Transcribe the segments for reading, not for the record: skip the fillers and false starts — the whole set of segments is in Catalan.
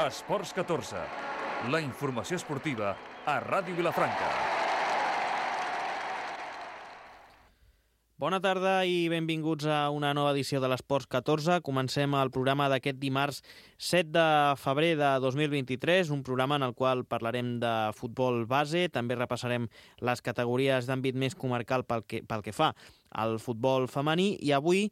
Esports 14, la informació esportiva a Ràdio Vilafranca. Bona tarda i benvinguts a una nova edició de l'Esports 14. Comencem el programa d'aquest dimarts 7 de febrer de 2023, un programa en el qual parlarem de futbol base, també repassarem les categories d'àmbit més comarcal pel que fa al futbol femení, i avui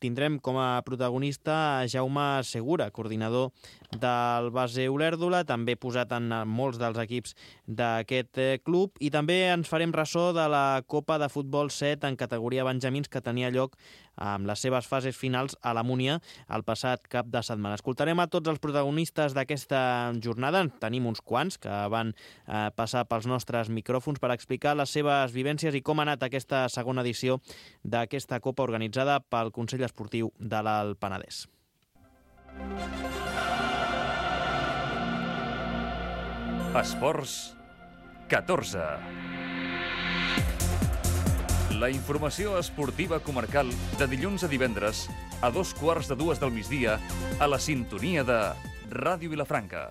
tindrem com a protagonista Jaume Segura, coordinador del base Olèrdola, també posat en molts dels equips d'aquest club, i també ens farem ressò de la Copa de Futbol 7 en categoria benjamins que tenia lloc amb les seves fases finals a la Múnia el passat cap de setmana. Escoltarem a tots els protagonistes d'aquesta jornada, tenim uns quants que van passar pels nostres micròfons per explicar les seves vivències i com ha anat aquesta segona edició d'aquesta Copa organitzada pel Consell Esportiu de l'Alt Penedès. Esports 14. La informació esportiva comarcal de dilluns a divendres a 2:15 del migdia a la sintonia de Ràdio Vilafranca.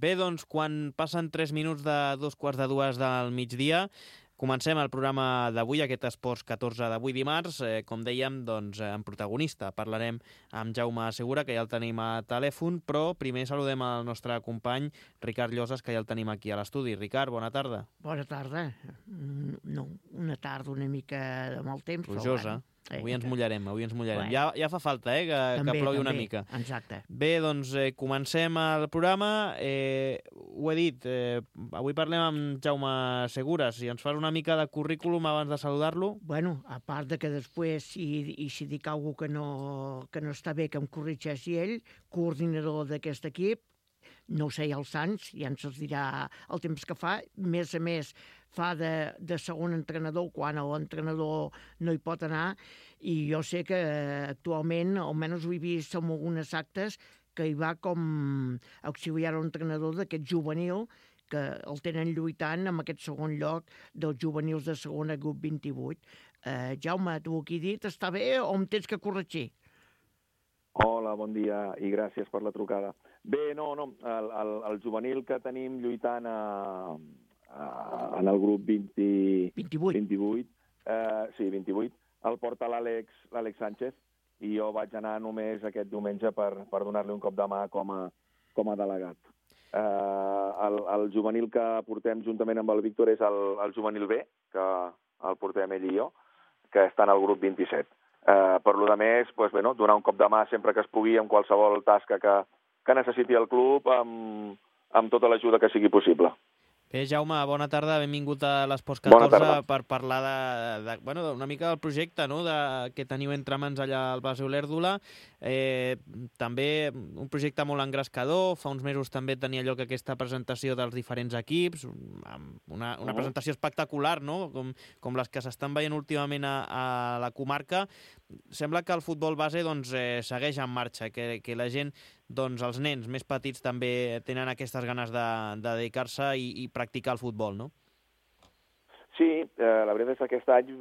Bé, doncs, quan passen 3 minuts de 2:15 del migdia, comencem el programa d'avui, aquest Esports 14 d'avui dimarts. Com dèiem, doncs, en protagonista parlarem amb Jaume Segura, que ja el tenim a telèfon, però primer saludem el nostre company Ricard Llosas, que ja el tenim aquí a l'estudi. Ricard, bona tarda. Bona tarda. No, una tarda una mica de mal temps. Plujosa. Avui ens mullarem. Bueno. Ja fa falta, que plogui una mica. Exacte. Bé, doncs comencem el programa. Ho he dit, avui parlem amb Jaume Segura. Si ens fas una mica de currículum abans de saludar-lo. Bueno, a part de que després, si dic alguna cosa que no està bé, que em corregeixi ell, coordinador d'aquest equip, no ho sé, els Sants, ja ens els dirà el temps que fa. A més, fa de segon entrenador quan l'entrenador no hi pot anar, i jo sé que actualment, almenys ho he vist en algunes actes, que hi va com auxiliar entrenador d'aquest juvenil, que el tenen lluitant amb aquest segon lloc dels juvenils de segona grup 28. Jaume, tu aquí dit, està bé o em tens que corregir? Hola, bon dia i gràcies per la trucada. Bé, no, el juvenil que tenim lluitant en el grup 28, sí, 28, el porta l'Àlex Sánchez, i jo vaig anar només aquest diumenge per donar-li un cop de mà com a delegat. El juvenil que portem juntament amb el Víctor és el juvenil B, que el portem ell i jo, que està en el grup 27. Per lo de més, donar un cop de mà sempre que es pugui en qualsevol tasca que necessiti el club amb tota l'ajuda que sigui possible. Bé, Jaume, bona tarda, benvingut a l'Esports 14 per parlar una mica del projecte, no?, que teniu entre mans allà al base Olèrdola. També un projecte molt engrescador. Fa uns mesos també tenia lloc aquesta presentació dels diferents equips, una presentació espectacular, no?, com les que s'estan veient últimament a la comarca. Sembla que el futbol base segueix en marxa, que la gent, els nens més petits també tenen aquestes ganes de dedicar-se i practicar el futbol, no? Sí, la veritat és que aquest any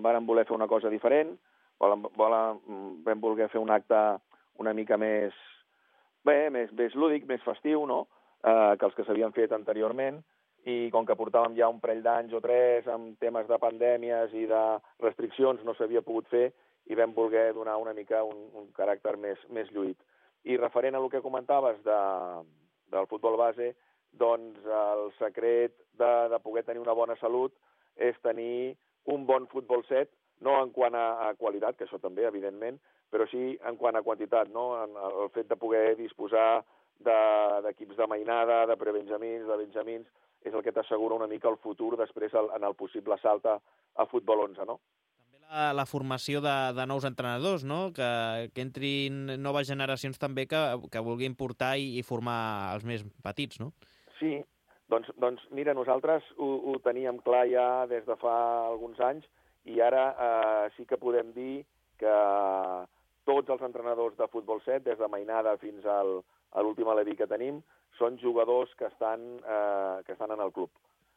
vam voler fer una cosa diferent, vam voler fer un acte una mica més lúdic, més festiu, no?, que els que s'havien fet anteriorment, i com que portàvem ja un parell d'anys o 3 amb temes de pandèmies i de restriccions, no s'havia pogut fer, i vam voler donar una mica un caràcter més lluït. I referent a el que comentaves del futbol base, doncs el secret de poder tenir una bona salut és tenir un bon futbol set, no en quant a qualitat, que això també, evidentment, però sí en quant a quantitat, no? El fet de poder disposar d'equips de mainada, de prebenjamins, de benjamins, és el que t'assegura una mica el futur després en el possible salt a futbol 11, no? La formació de nous entrenadors, no?, que entrin noves generacions també que vulguin portar i formar els més petits, no? Sí, doncs mira, nosaltres ho teníem clar ja des de fa alguns anys, i ara sí que podem dir que tots els entrenadors de futbol 7, des de mainada fins a l'últim aleví que tenim, són jugadors que estan en el club.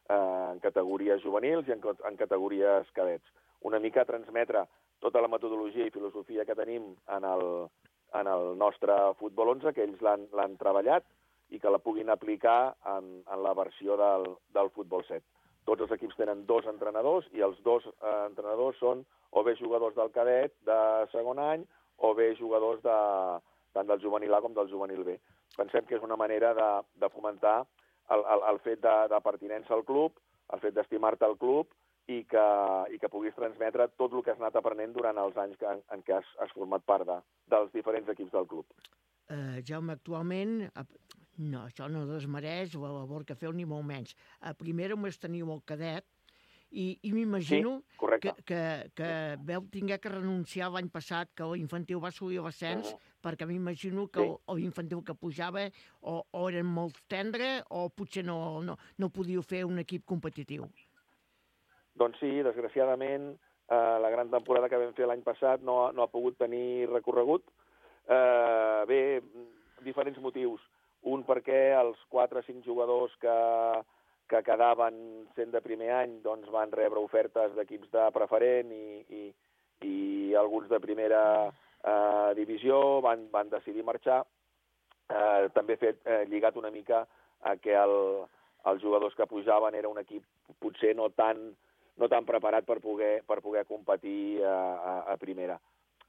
en categories juvenils i en categories cadets. Una mica transmetre tota la metodologia i filosofia que tenim en el nostre futbol 11, que ells l'han treballat i que la puguin aplicar en la versió del futbol 7. Tots els equips tenen 2 entrenadors i els 2 entrenadors són o bé jugadors del cadet de segon any o bé jugadors tant del juvenil A com del juvenil B. Pensem que és una manera de fomentar el fet de pertinença al club, el fet d'estimar-te al club i que puguis transmetre tot el que has anat aprenent durant els anys en què has format part dels diferents equips del club. Jaume, actualment, no, això no desmereix la labor que feu ni molt menys. A primera només teniu el cadet i m'imagino que veu tinguer que renunciar l'any passat, que l'infantil va assolir l'ascens, perquè m'imagino que l'infantil que pujava o eren molt tendre o potser no podíeu fer un equip competitiu. Doncs sí, desgraciadament, la gran temporada que vam fer l'any passat no ha pogut tenir recorregut. Bé, diferents motius. Un perquè els 4 o 5 jugadors que quedaven sent de primer any doncs van rebre ofertes d'equips de preferent i alguns de primera divisió van decidir marxar. També lligat una mica a que els jugadors que pujaven era un equip potser no tan preparat per poder competir a primera.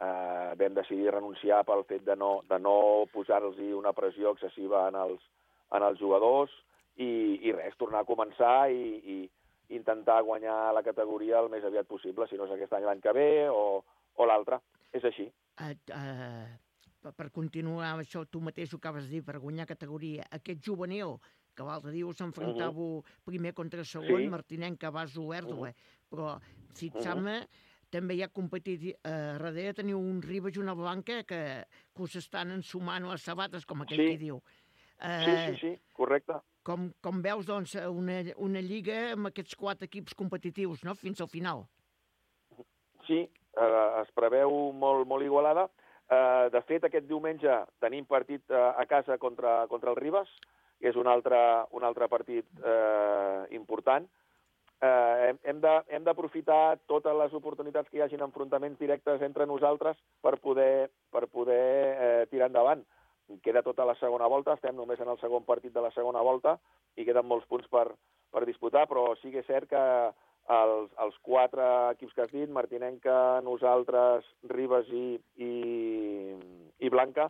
Vam decidir renunciar pel fet de no posar-los una pressió excessiva en els jugadors i res, tornar a començar i intentar guanyar la categoria el més aviat possible, si no és aquest any l'any que ve o l'altre. És així. Per continuar amb això, tu mateix ho acabes de dir, per guanyar categoria, aquest juvenil, que l'altre dia us enfrontàveu primer contra segon, Martinenc, Cabasso, Erdole, però fixant-me, també hi ha competit, darrere teniu un Ribas i una Blanca que us estan ensumant les sabates, com aquell que diu. Sí, correcte. Com veus, doncs, una lliga amb aquests 4 equips competitius, no?, fins al final. Sí, es preveu molt igualada. De fet, aquest diumenge tenim partit a casa contra el Ribas, que és un altre partit important. Hem d'aprofitar totes les oportunitats que hi hagin enfrontaments directes entre nosaltres per poder tirar endavant. Queda tota la segona volta, estem només en el segon partit de la segona volta i queden molts punts per disputar, però sí que és cert que els 4 equips que has dit, Martinenca, nosaltres, Ribas i Blanca,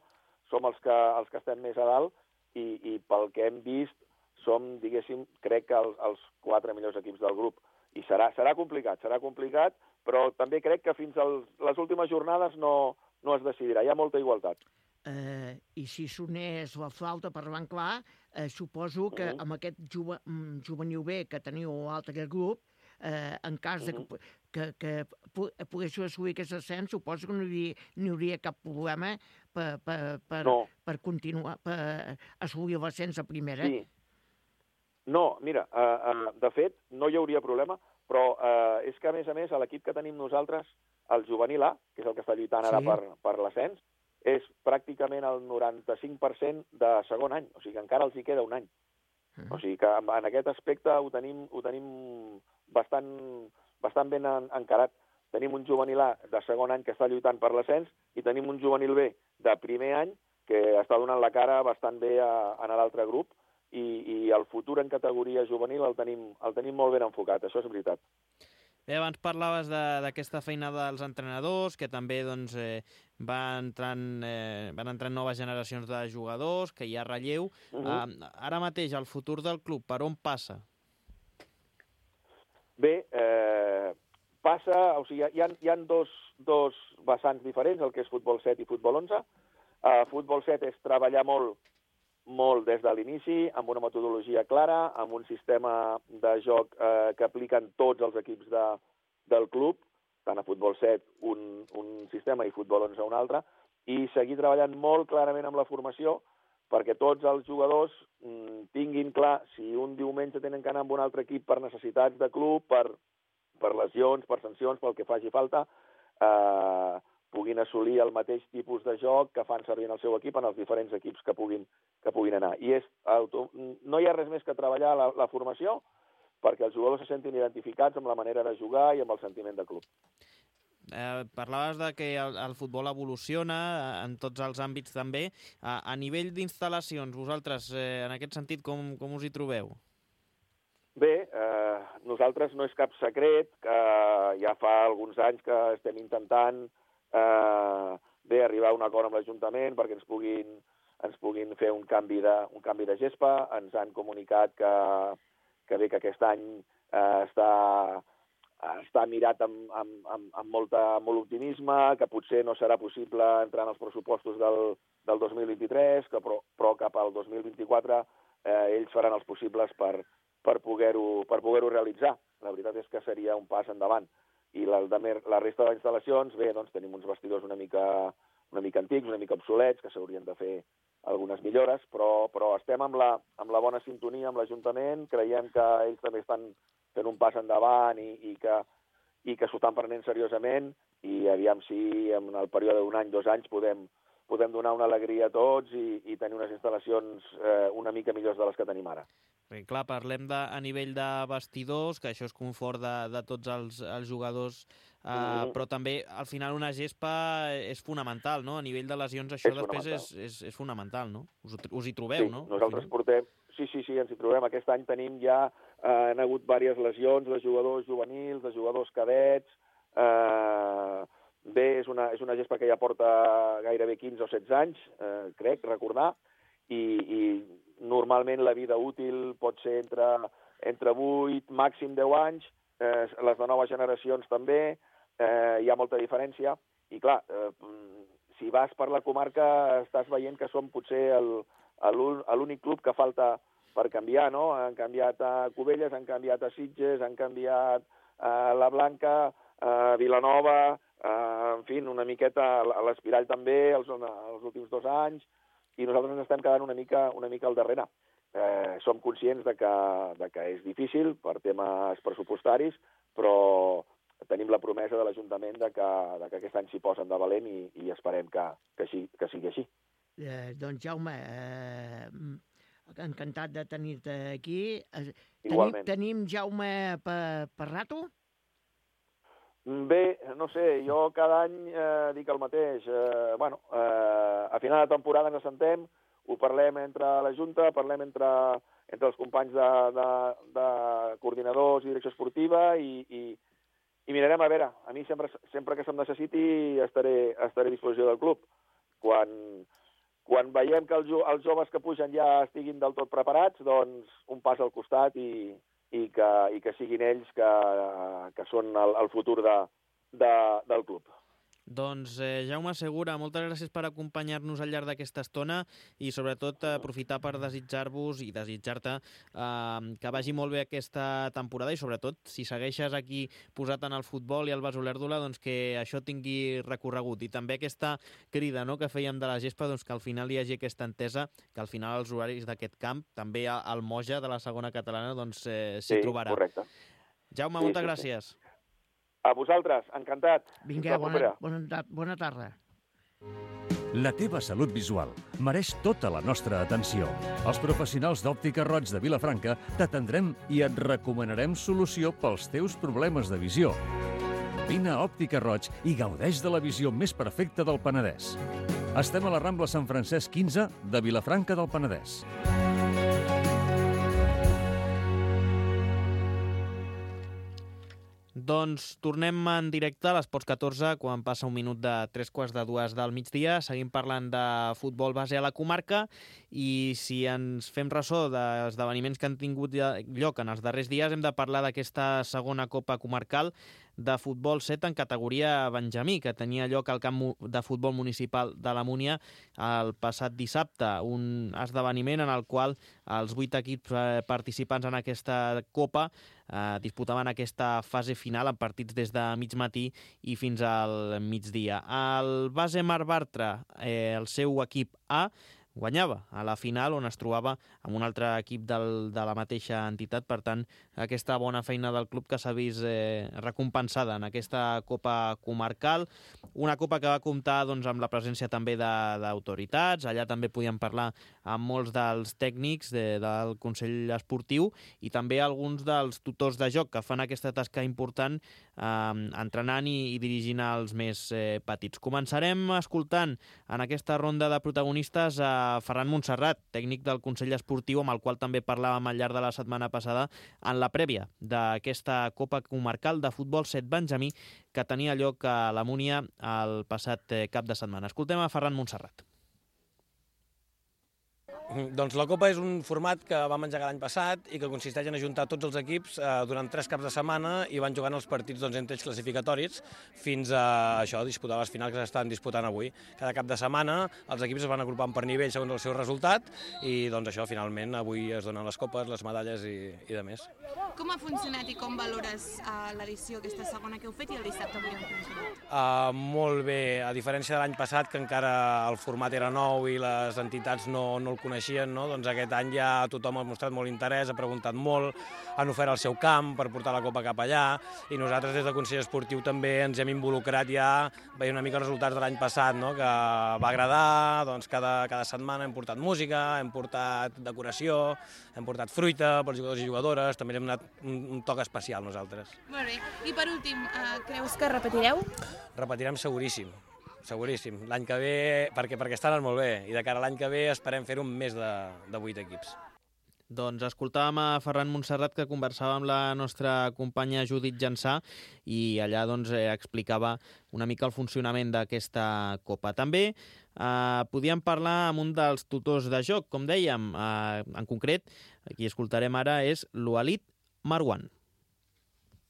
som els que estem més a dalt i pel que hem vist som, diguéssim, crec que els 4 millors equips del grup. I serà complicat, però també crec que fins a les últimes jornades no es decidirà. Hi ha molta igualtat. I si sonés la flauta per parlant clar, suposo que amb aquest juvenil B que teniu a l'altre grup, en cas que poguéssiu assolir aquest ascens, suposo que no hi hauria cap problema per continuar, per assolir l'ascens a primera. Sí. No, mira, de fet, no hi hauria problema, però és que, a més, a l'equip que tenim nosaltres, el juvenil A, que és el que està lluitant ara per l'ascens, és pràcticament el 95% de segon any, o sigui que encara els hi queda un any. O sigui que en aquest aspecte ho tenim bastant ben encarat. Tenim un juvenil A de segon any que està lluitant per l'ascens i tenim un juvenil B de primer any que està donant la cara bastant bé en l'altre grup i el futur en categoria juvenil el tenim molt ben enfocat, això és veritat. Bé, abans parlaves d'aquesta feina dels entrenadors, que també doncs, van entrant noves generacions de jugadors, que hi ha relleu. Ara mateix, el futur del club, per on passa? Bé, passa, o sigui, hi ha dos vessants diferents, el que és futbol 7 i futbol 11. Futbol 7 és treballar molt des de l'inici, amb una metodologia clara, amb un sistema de joc que apliquen tots els equips del club, tant a futbol 7 un sistema i futbol 11 un altre, i seguir treballant molt clarament amb la formació perquè tots els jugadors tinguin clar si un diumenge tenen que anar amb un altre equip per necessitats de club, per lesions, per sancions, pel que faci falta, puguin assolir el mateix tipus de joc que fan servir en el seu equip en els diferents equips que puguin anar. I no hi ha res més que treballar la formació perquè els jugadors se sentin identificats amb la manera de jugar i amb el sentiment de club. Parlaves de que el futbol evoluciona en tots els àmbits també. A nivell d'instal·lacions, vosaltres, en aquest sentit, com us hi trobeu? Bé, nosaltres no és cap secret, que ja fa alguns anys que estem intentant arribar a un acord amb l'Ajuntament perquè ens puguin fer un canvi de gespa. Ens han comunicat que bé que aquest any està mirat amb molt optimisme, que potser no serà possible entrar en els pressupostos del 2023, però cap al 2024 ells faran els possibles per poder-ho realitzar. La veritat és que seria un pas endavant. I la resta de les instal·lacions, bé, doncs tenim uns vestidors una mica antics, una mica obsolets, que s'haurien de fer algunes millores, però estem amb la bona sintonia amb l'Ajuntament, creiem que ells també estan fent un pas endavant i que s'ho estan prenent seriosament, i aviam si en el període d'un any, 2 anys, podem donar una alegria a tots i tenir unes instal·lacions una mica millors de les que tenim ara. Perquè, clar, parlem a nivell de vestidors, que això és confort de tots els jugadors, però també, al final, una gespa és fonamental, no? A nivell de lesions, això després és fonamental, no? Us hi trobeu, no? Nosaltres portem... Sí, ens hi trobem. Aquest any tenim ja... han hagut diverses lesions de jugadors juvenils, de jugadors cadets... Bé, és una gespa que ja porta gairebé 15 o 16 anys, crec, recordar, i normalment la vida útil pot ser entre 8, màxim 10 anys, les de noves generacions també, hi ha molta diferència, i clar, si vas per la comarca estàs veient que som potser l'únic club que falta per canviar, no? Han canviat a Cubelles, han canviat a Sitges, han canviat a la Blanca, a Vilanova, en fi, una miqueta a l'Espirall també, els últims 2 anys, i nosaltres ens estem quedant una mica al darrere. Som conscients de que és difícil per temes pressupostaris, però tenim la promesa de l'Ajuntament de que aquest any s'hi posen de valent i esperem que sigui així. Doncs Jaume, encantat de tenir-te aquí. Igualment. Tenim Jaume per rato? Bé, no sé, jo cada any dic el mateix. A final de temporada ens assentem, ho parlem entre la Junta, parlem entre els companys de coordinadors i direcció esportiva i mirarem a veure. A mi sempre que se'm necessiti estaré a disposició del club. Quan veiem que els joves que pugen ja estiguin del tot preparats, doncs un pas al costat i que siguin ells que són el futur del club. Doncs Jaume Segura, moltes gràcies per acompanyar-nos al llarg d'aquesta estona i sobretot aprofitar per desitjar-vos i desitjar-te que vagi molt bé aquesta temporada i sobretot si segueixes aquí posat en el futbol i al Bas Olèrdola, doncs que això tingui recorregut i també aquesta crida, no?, que fèiem de la gespa, doncs que al final hi hagi aquesta entesa que al final els horaris d'aquest camp, també el Moja de la segona catalana, doncs s'hi trobarà. Sí, correcte. Jaume, moltes gràcies. A vosaltres, encantat. Vinga, bona tarda. La teva salut visual mereix tota la nostra atenció. Els professionals d'Òptica Roig de Vilafranca t'atendrem i et recomanarem solució pels teus problemes de visió. Vine a Òptica Roig i gaudeix de la visió més perfecta del Penedès. Estem a la Rambla Sant Francesc 15 de Vilafranca del Penedès. Doncs tornem en directe a l'Esports 14 quan passa un minut de 3:45 del migdia. Seguim parlant de futbol base a la comarca i si ens fem ressò d'esdeveniments que han tingut lloc en els darrers dies hem de parlar d'aquesta segona Copa Comarcal de futbol 7 en categoria Benjamí, que tenia lloc al camp de futbol municipal de la Múnia el passat dissabte. Un esdeveniment en el qual els 8 equips participants en aquesta Copa disputaven aquesta fase final en partits des de mig matí i fins al migdia. El base Mar Bartra, el seu equip A, guanyava a la final, on es trobava amb un altre equip de la mateixa entitat. Per tant, aquesta bona feina del club que s'ha vist recompensada en aquesta Copa Comarcal, una Copa que va comptar doncs, amb la presència també d'autoritats. Allà també podíem parlar amb molts dels tècnics del Consell Esportiu i també alguns dels tutors de joc que fan aquesta tasca important entrenant i dirigint els més petits. Començarem escoltant en aquesta ronda de protagonistes a Ferran Montserrat, tècnic del Consell Esportiu, amb el qual també parlàvem al llarg de la setmana passada en la prèvia d'aquesta Copa Comarcal de Futbol 7 Benjamí que tenia lloc a la Múnia el passat cap de setmana. Escoltem a Ferran Montserrat. Doncs la Copa és un format que vam engegar l'any passat i que consisteix en ajuntar tots els equips durant 3 caps de setmana i van jugant els partits entre ells classificatoris fins a disputar les finals que s'estan disputant avui. Cada cap de setmana els equips es van agrupant per nivell segons el seu resultat i finalment avui es donen les copes, les medalles i de més. Com ha funcionat i com valores l'edició aquesta segona que heu fet i el dissabte avui han funcionat? Molt bé, a diferència de l'any passat que encara el format era nou i les entitats no el coneixien, doncs aquest any ja tothom ha mostrat molt interès, ha preguntat molt, han ofert el seu camp per portar la Copa cap allà i nosaltres des del Consell Esportiu també ens hem involucrat ja veient una mica els resultats de l'any passat, que va agradar, doncs cada setmana hem portat música, hem portat decoració, hem portat fruita pels jugadors i jugadores, també hem donat un toc especial nosaltres. Molt bé, i per últim, creus que repetireu? Repetirem seguríssim. Seguríssim. L'any que ve, perquè està anant molt bé, i de cara a l'any que ve esperem fer-ho amb més de 8 equips. Doncs escoltàvem a Ferran Montserrat, que conversava amb la nostra companya Judit Jansà i allà explicava una mica el funcionament d'aquesta Copa. També podíem parlar amb un dels tutors de joc, com dèiem, en concret, qui escoltarem ara és l'Ualit Marwan.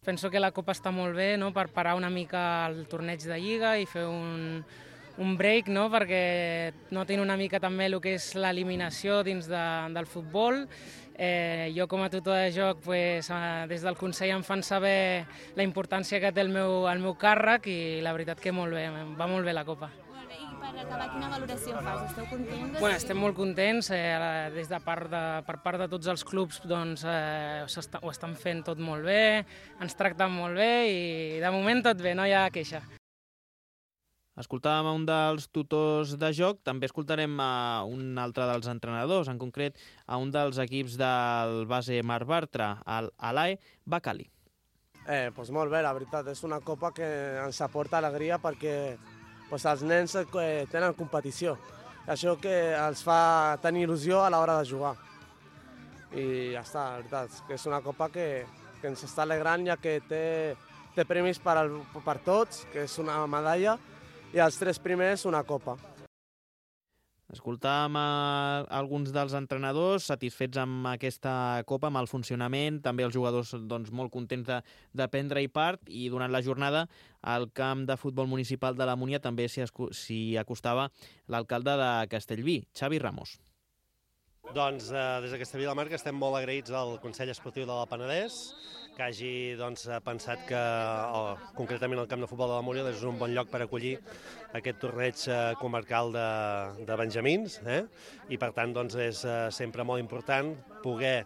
Penso que la Copa està molt bé per parar una mica el torneig de Lliga i fer un break, perquè notin una mica també el que és l'eliminació dins del futbol. Jo com a tutor de joc des del Consell em fan saber la importància que té el meu càrrec i la veritat que molt bé, va molt bé la Copa. Per acabar, quina valoració fas? Esteu contents? Estem molt contents, per part de tots els clubs ho estan fent tot molt bé, ens tracten molt bé i de moment tot bé, no hi ha queixa. Escoltàvem a un dels tutors de joc, també escoltarem a un altre dels entrenadors, en concret a un dels equips del base Marc Bartra, l'Alae Bakali. Molt bé, la veritat, és una copa que ens aporta alegria perquè els nens tenen competició. Això que els fa tenir il·lusió a l'hora de jugar. I ja està, la veritat, que és una copa que ens està alegrant ja que té premis per tots, que és una medalla, i els 3 primers una copa. Escoltàvem alguns dels entrenadors satisfets amb aquesta Copa, amb el funcionament, també els jugadors molt contents de prendre-hi part, i durant la jornada al camp de futbol municipal de la Múnia també s'hi acostava l'alcalde de Castellví, Xavi Ramos. Des de Castellví de la Marca estem molt agraïts al Consell Esportiu de la Penedès, que hagi pensat que concretament el camp de futbol de la Múnia és un bon lloc per acollir aquest torneig comarcal de benjamins, i per tant és sempre molt important poder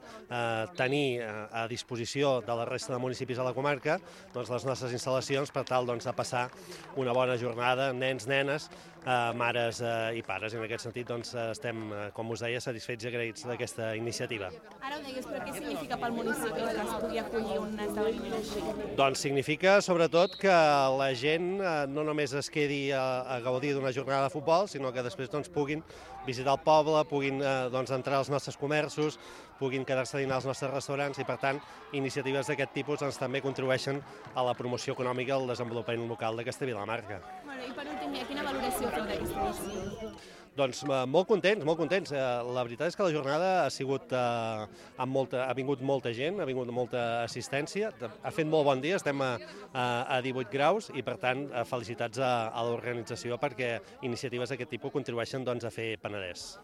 tenir a disposició de la resta de municipis de la comarca les nostres instal·lacions per tal de passar una bona jornada amb nens, nenes, mares i pares. I en aquest sentit estem, com us deia, satisfets i agraïts d'aquesta iniciativa. Ara ho deies, però què significa pel municipi que es pugui acollir un esdeveniment així? Doncs significa sobretot que la gent no només es quedi a gaudir d'una jornada de futbol, sinó que després puguin visitar el poble, puguin entrar als nostres comerços, puguin quedar-se a dinar als nostres restaurants i, per tant, iniciatives d'aquest tipus també contribueixen a la promoció econòmica i al desenvolupament local de Castellví de la Marca. I per últim, quina valoració feu d'aquesta edició? Doncs molt contents, molt contents. La veritat és que la jornada ha vingut molta gent, ha vingut molta assistència, ha fet molt bon dia, estem a 18 graus i, per tant, felicitats a l'organització perquè iniciatives d'aquest tipus contribueixen a fer Penedès.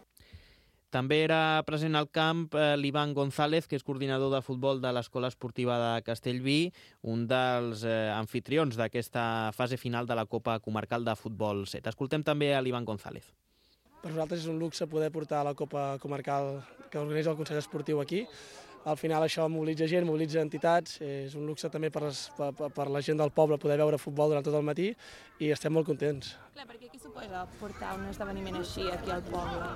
També era present al camp l'Ivan González, que és coordinador de futbol de l'Escola Esportiva de Castellví, un dels anfitrions d'aquesta fase final de la Copa Comarcal de Futbol 7. Escoltem també a l'Ivan González. Per nosaltres és un luxe poder portar la Copa Comarcal que organitza el Consell Esportiu aquí. Al final això mobilitza gent, mobilitza entitats, és un luxe també per la gent del poble poder veure futbol durant tot el matí i estem molt contents. Clar, perquè què suposa portar un esdeveniment així aquí al poble?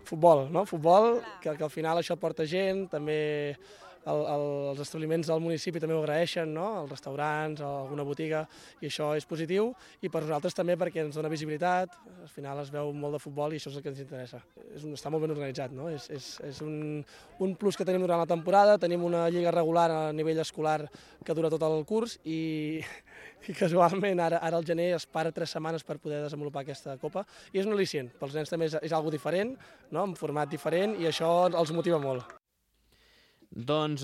Futbol, no? Futbol, que al final això porta gent, també els establiments del municipi també ho agraeixen, no? Els restaurants, alguna botiga, i això és positiu, i per nosaltres també perquè ens dona visibilitat, al final es veu molt de futbol i això és el que ens interessa. Està molt ben organitzat, no? És un plus que tenim durant la temporada, tenim una lliga regular a nivell escolar que dura tot el curs i casualment ara al gener es para 3 setmanes per poder desenvolupar aquesta copa i és un al·licient, pels nens també és algo diferent, no? Un format diferent i això els motiva molt. Doncs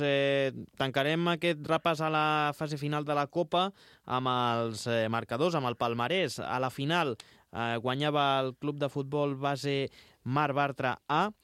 tancarem aquest repàs a la fase final de la Copa amb els marcadors, amb el palmarès. A la final guanyava el club de futbol base Mar Bartra A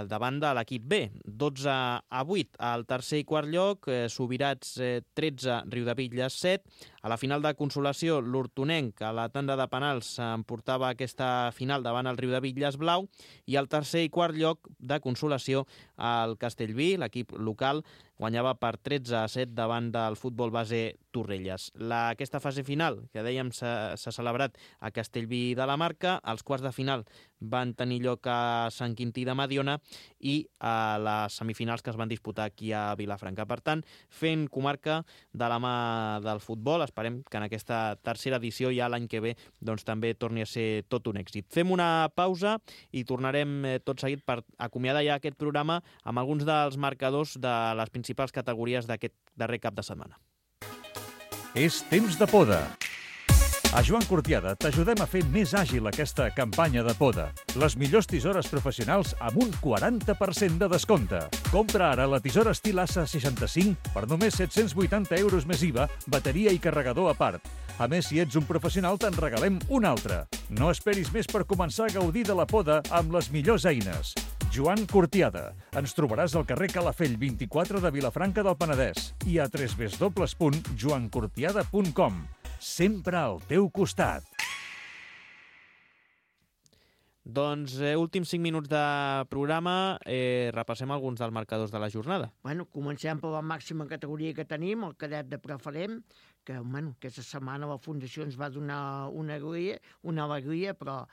davant de l'equip B, 12-8. Al tercer i quart lloc, Subirats 13, Riudebitlles 7. A la final de consolació, l'Hortonenc, a la tanda de penals, emportava aquesta final davant el Riudebitlles Blau. I al tercer i quart lloc de consolació, el Castellví, l'equip local, guanyava per 13-7 davant del futbol base Torrelles. Aquesta fase final, que dèiem s'ha celebrat a Castellví de la Marca, els quarts de final van tenir lloc a Sant Quintí de Mediona i a les semifinals que es van disputar aquí a Vilafranca. Per tant, fent comarca de la mà del futbol, esperem que en aquesta tercera edició ja l'any que ve doncs, també torni a ser tot un èxit. Fem una pausa i tornarem tot seguit per acomiadar ja aquest programa amb alguns dels marcadors de les principals categories d'aquest darrer cap de setmana. És temps de poda. A Joan Cortiada t'ajudem a fer més àgil aquesta campanya de poda. Les millors tisores professionals amb un 40% de descompte. Compra ara la tisora estil Assa 65 per només 780 euros més IVA, bateria i carregador a part. A més, si ets un professional, te'n regalem una altra. No esperis més per començar a gaudir de la poda amb les millors eines. Joan Cortiada. Ens trobaràs al carrer Calafell 24 de Vilafranca del Penedès i a www.joancortiada.com. Sempre al teu costat. Doncs últims 5 minuts de programa, repassem alguns dels marcadors de la jornada. Bueno, comencem per la màxima categoria que tenim, el cadet de preferent, que aquesta setmana la Fundació ens va donar una alegria, però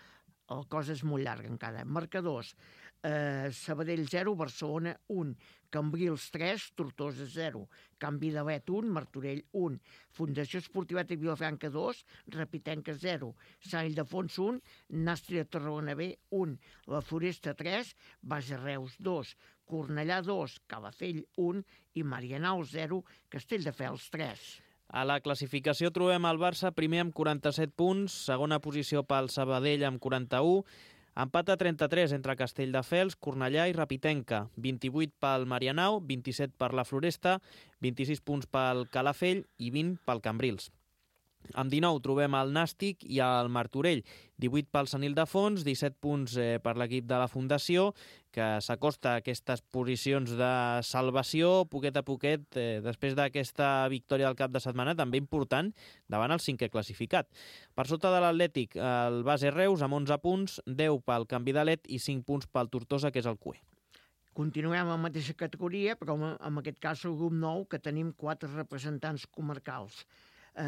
la cosa és molt llarga encara. Marcadors: Sabadell 0, Barcelona 1, Cambrils 3, Tortosa 0, Can Vidalet 1, Martorell 1, Fundació Esportiva Tec Vilafranca 2, Repitenca 0, Sant Ildefons 1, Nàstria Tarragona B 1, La Floresta 3, Base Reus 2, Cornellà 2, Calafell 1 i Marianao 0, Castelldefels 3. A la classificació trobem el Barça primer amb 47 punts, segona posició pel Sabadell amb 41, empat a 33 entre Castelldefels, Cornellà i Repitenca, 28 pel Marianao, 27 per la Floresta, 26 punts pel Calafell i 20 pel Cambrils. Amb 19 trobem el Nàstic i el Martorell, 18 pel Sant Ildefons, 17 punts per l'equip de la Fundació, que s'acosta a aquestes posicions de salvació poquet a poquet, després d'aquesta victòria del cap de setmana, també important, davant el 5è classificat. Per sota de l'Atlètic, el Base Reus amb 11 punts, 10 pel Can Vidalet i 5 punts pel Tortosa, que és el cué. Continuem amb la mateixa categoria, però en aquest cas el grup 9, que tenim 4 representants comarcals.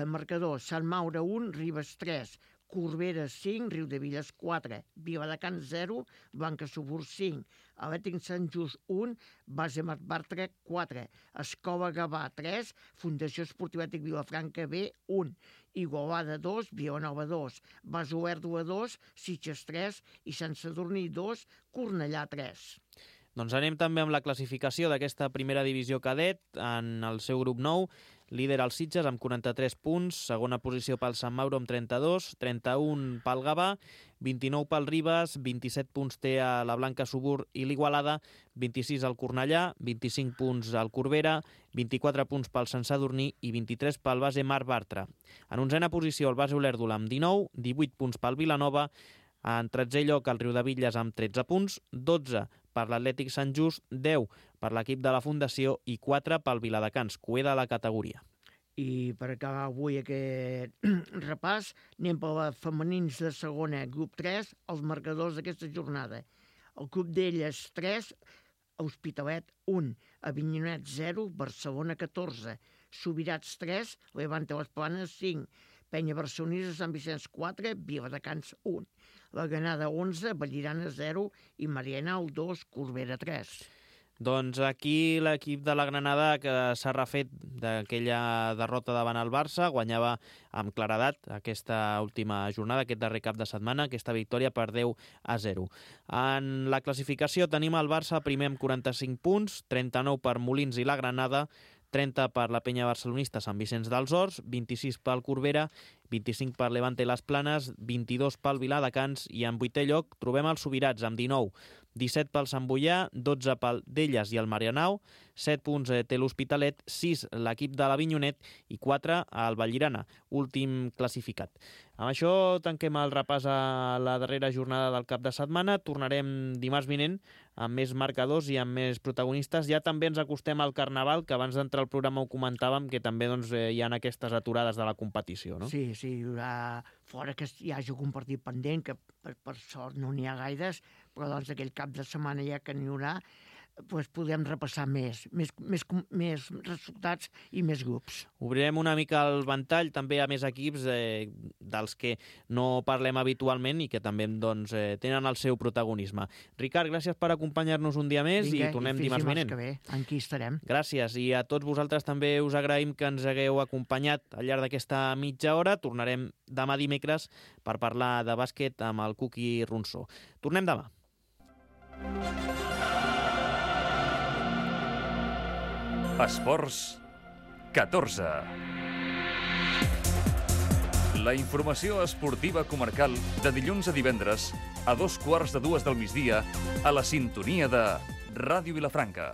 Marcador: Sant Maure 1, Ribes 3, Corbera 5, Riudebitlles 4, Viladecans 0, Blancassobur 5, Atlètic Sant Just 1, Base Mar Bartra 4, Escola Gavà 3, Fundació Esportiva Tec Vilafranca B 1, Igualada 2, Vilanova 2, Base Olèrdola 2, Sitges 3 i Sant Sadurní 2, Cornellà 3. Doncs anem també amb la classificació d'aquesta primera divisió cadet en el seu grup 9. Líder el Sitges amb 43 punts, segona posició pel Sant Mauro amb 32, 31 pel Gavà, 29 pel Ribes, 27 punts té a la Blancassobur i l'Igualada, 26 al Cornellà, 25 punts al Corbera, 24 punts pel Sant Sadurní i 23 pel Base Mar Bartra. En 11a posició el Base Olèrdola amb 19, 18 punts pel Vilanova, en 13è lloc el Riudebitlles amb 13 punts, 12 per l'Atlètic Sant Just, 10 per l'equip de la Fundació i 4 pel Viladecans, cué de la categoria. I per acabar avui aquest repàs, anem per les femenins de segona, grup 3, els marcadors d'aquesta jornada. El club d'elles 3, Hospitalet 1, Avinyonet 0, Barcelona 14, Subirats 3, Levante Les Planes 5, Penya Barcelonesa Sant Vicenç 4, Viladecans 1, La Granada 11, Vallirana 0 i Marianao 2, Corbera 3. Doncs aquí l'equip de la Granada, que s'ha refet d'aquella derrota davant el Barça, guanyava amb claredat aquesta última jornada, aquest darrer cap de setmana, aquesta victòria per 10-0. En la classificació tenim el Barça primer amb 45 punts, 39 per Molins i la Granada, 30 per la Penya Barcelonista Sant Vicenç dels Horts, 26 pel Corbera, 25 per Levante Les Planes, 22 pel Viladecans i en 8è lloc trobem els Subirats amb 19, 17 pel Sant Boià, 12 pel Delles i el Marianao, 7 punts té l'Hospitalet, 6 l'equip de l'Avinyonet i 4 al Vallirana, últim classificat. Amb això tanquem el repàs a la darrera jornada del cap de setmana. Tornarem dimarts vinent amb més marcadors i amb més protagonistes. Ja també ens acostem al Carnaval, que abans d'entrar al programa ho comentàvem, que també hi ha aquestes aturades de la competició, no? Sí, hi haurà fora que hi hagi algun partit pendent, que per sort no n'hi ha gaires, però doncs aquell cap de setmana ja que n'hi haurà, doncs podem repassar més resultats i més grups. Obrirem una mica el ventall també a més equips dels que no parlem habitualment i que també doncs, tenen el seu protagonisme. Ricard, gràcies per acompanyar-nos un dia més. Vinga, i tornem dimarts vinent. Que bé, aquí estarem. Gràcies, i a tots vosaltres també us agraïm que ens hagueu acompanyat al llarg d'aquesta mitja hora. Tornarem demà dimecres per parlar de bàsquet amb el Cuqui Ronsó. Tornem demà. Esports 14. La informació esportiva comarcal de dilluns a divendres a 2:15 del migdia a la sintonia de Ràdio Vilafranca.